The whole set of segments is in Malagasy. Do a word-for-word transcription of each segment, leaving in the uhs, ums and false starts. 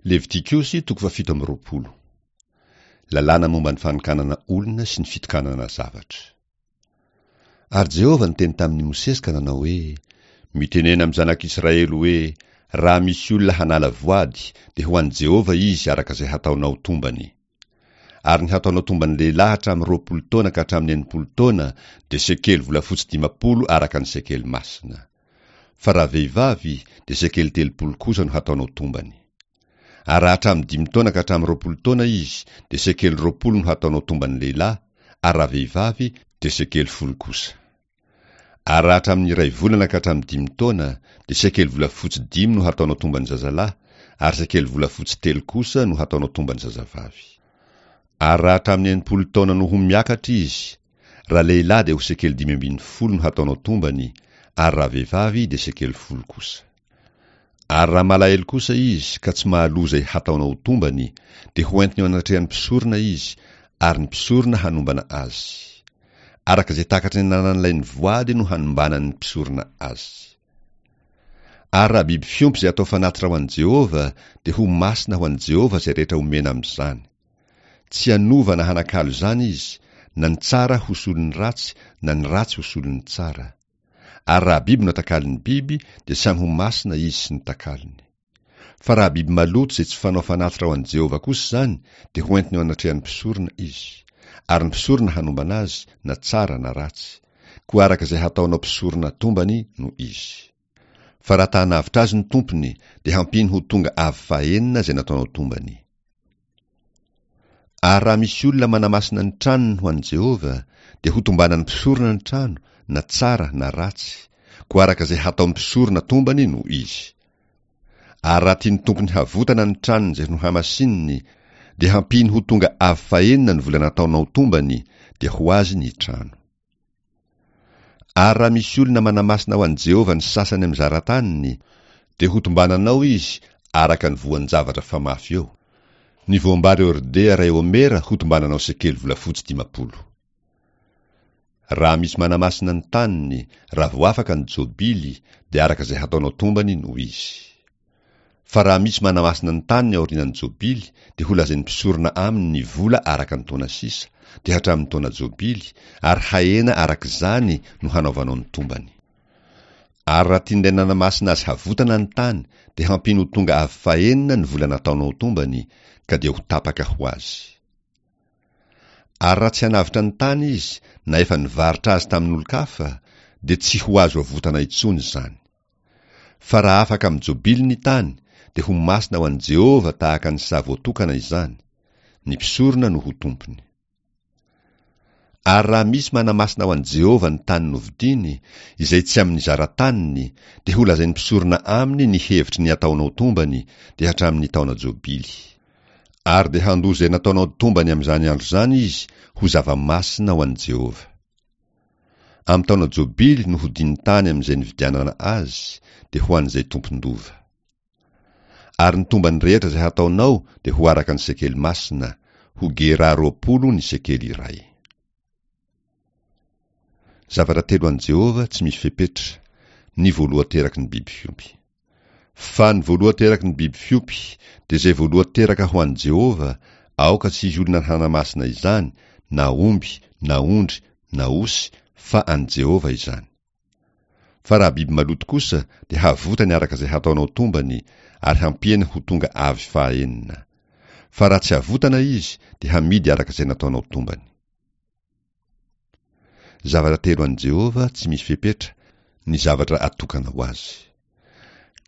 Levitikosy toko fahafito amby roapolo. Lalàna momba ny fanokanana olona sy ny fitokanana zavatra. Ary Jehovah niteny tamin'i Mosesy ka nanao hoe: Mitenena amin'ny zanak'Israely hoe: Raha misy olona hanala voady, dia ho an'i Jehovah izy araka izay hataonao tombany. Ary ny hataonao tomban'ny lehilahy hatramin'ny roapolo taona ka hatramin'ny enimpolo taona dia sekely volafotsy dimampolo araka ny sekely masina. Fa raha vehivavy, dia sekely telopolo kosa no hataonao tombany. Ary raha hatramin'ny dimy taona ka hatramin'ny roapolo taona izy, dia sekely roapolo no hataonao tomban'ny lehilahy, ary raha vehivavy, dia sekely folo kosa. Ary raha hatramin'ny iray volana ka hatramin'ny dimy taona, dia sekely volafotsy dimy no hataonao tomban'ny zazalahy, ary sekely volafotsy telo kosa no hataonao tomban'ny zazavavy. Ary raha hatramin'ny enimpolo taona no ho miakatra izy, raha lehilahy dia ho sekely dimy ambin'ny folo no hataonao tombany, ary raha vehivavy dia sekely folo kosa. Ary raha malahelo kosa izy ka tsy mahaloa izay hataonao tombany, dia hoentiny eo anatrehan'ny mpisorona izy, ary ny mpisorona hanombana azy. Araka izay takatry ny ananan'ilay nivoady no hanombanan'ny mpisorona azy. Ary raha biby fiompy izay atao fanatitra ho an'i Jehovah, dia ho masina ho an'i Jehovah izay rehetra omena amin'izany. Tsy hanova na hanakalo izany izy, na ny tsara ho solon'ny ratsy, na ny ratsy ho solon'ny tsara. Ary raha biby no atakalon'ny biby, dia samy ho masina izy sy ny takalony. Fa raha biby maloto izay tsy fanao fanatitra ho an'i Jehovah kosa izany, dia hoentiny eo anatrehan'ny mpisorona izy. Ary ny mpisorona hanombana azy, na tsara na ratsy. Koa araka izay hataonao mpisorona tombany no izy. Fa raha ta hanavotra azy ny tompony, dia hampiany ho tonga avy fahenina izay nataonao tombany. Ary raha misy olona manamasina ny tranony ho an'i Jehovah, dia ho tombanan'ny mpisorona ny trano, na tsara na ratsy. Koa araka izay hataon'ny mpisorona tombany no izy. Ary raha tian'ny tompony havotana ny tranony izay nohamasininy, dia hampiany ho tonga avy fahenina ny vola nataonao tombany, dia ho azy ny trano. Ary raha misy olona manamasina ho an'i Jehovah ny sasany amin'ny zarataniny, dia ho tombananao izy araka ny voan-javatra famafy eo. Ny voambary hordea iray homera ho tombananao sekely volafotsy dimampolo. Raha misy manamasina ny taniny, raha vao afaka ny jobily, dia araka izay hataonao tombany no izy. Fa raha misy manamasina ny taniny aorian'ny jobily, dia ho lazain'ny mpisorona aminy ny vola araka ny taona sisa, dia hatramin'ny taona jobily, ary hahena araka izany no hanaovanao ny tombany. Ary raha tian'ilay nanamasina azy havotana ny tany, dia hampiany ho tonga avy fahenina ny vola nataonao tombany, ka dia ho tapaka ho azy. Ary raha tsy hanavotra ny tany izy, na efa nivarotra azy tamin'olon-kafa, dia tsy ho azo avotana intsony izany. Fa raha afaka amin'ny jobily ny tany, dia ho masina ho an'i Jehovah tahaka ny saha voatokana izany. Ny mpisorona no ho tompony. Ary raha misy manamasina ho an'i Jehovah ny tany novidiny, izay tsy amin'ny zarataniny, dia ho lazain'ny mpisorona aminy ny hevitry ny ataonao tombany, dia hatramin'ny taona jobily. Ary dia handoa izay nataonao tombany amin'izany andro izany izy ho zava-masina ho an'i Jehovah. Amin'ny taona jobily no hodin'ny tany amin'izay nividianana azy, dia ho an'izay tompon-dova. Ary ny tombany rehetra izay hataonao dia ho araka ny sekely masina, ho gera roapolo ny sekely iray. Zavatra telo an'i Jehovah tsy misy fepetra, ny voalohan-teraky ny biby fiompy. Fa ny voalohan-teraky ny biby fiompy dia izay voalohan-teraka ho an'i Jehovah, aoka tsy hisy olona hanamasina izany, na omby, na ondry, na osy, fa an'i Jehovah izany. Fa raha biby maloto kosa, dia havotany araka izay hataonao tombany, ary hampiany ho tonga avy fahaenina. Fa raha tsy havotana izy, dia hamidy araka izay nataonao tombany. Zavatra telo an'i Jehovah tsy misy fepetra, ny zavatra atokana ho azy.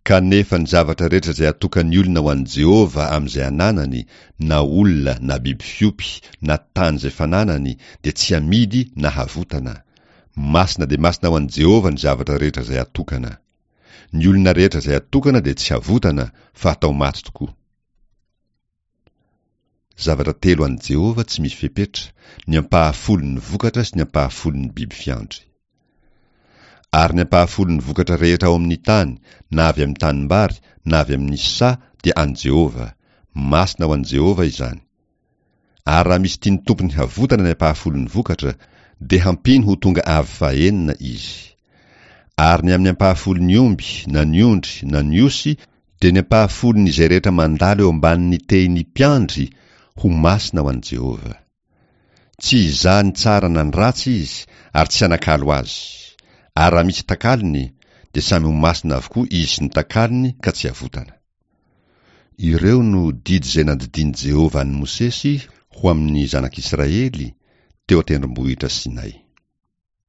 Kanefa ny zavatra rehetra izay atokan'ny olona ho an'i Jehovah amin'izay ananany, na olona, na biby fiompy, na tany izay fananany, dia tsy amidy na havotana. Masina dia masina ho an'i Jehovah ny zavatra rehetra izay atokana. Ny olona rehetra izay atokana dia tsy havotana, fa atao maty tokoa. Zavatra telo an'i Jehovah tsy misy fepetra, ny ampahafolon'ny vokatra sy ny ampahafolon'ny biby fiandry. Ary ny ampahafolon'ny vokatra rehetra ao amin'ny tany, na avy amin'ny tanimbary, na avy amin'ny saha, dia an'i Jehovah. Masina ho an'i Jehovah izany. Ary raha misy tian'ny tompony havotana ny ampahafolon'ny vokatra, dia hampiany ho tonga avy fahenina izy. Ary ny amin'ny ampahafolon'ny omby, na ny ondry, na ny osy, Dia ny ampahafolon'izay rehetra mandalo eo ambanin'ny tehin'ny mpiandry ho masina ho an'i Jehovah. Tsy hizaha ny tsara na ny ratsy izy ary tsy hanakalo azy. Ary raha misy takalony, dia samy ho masina avokoa izy sy ny takalony ka tsy havotana. Ireo no didy izay nandidian'i Jehovah an'i Mosesy ho amin'ny zanak'Israely teo an-tendrombohitra Sinay.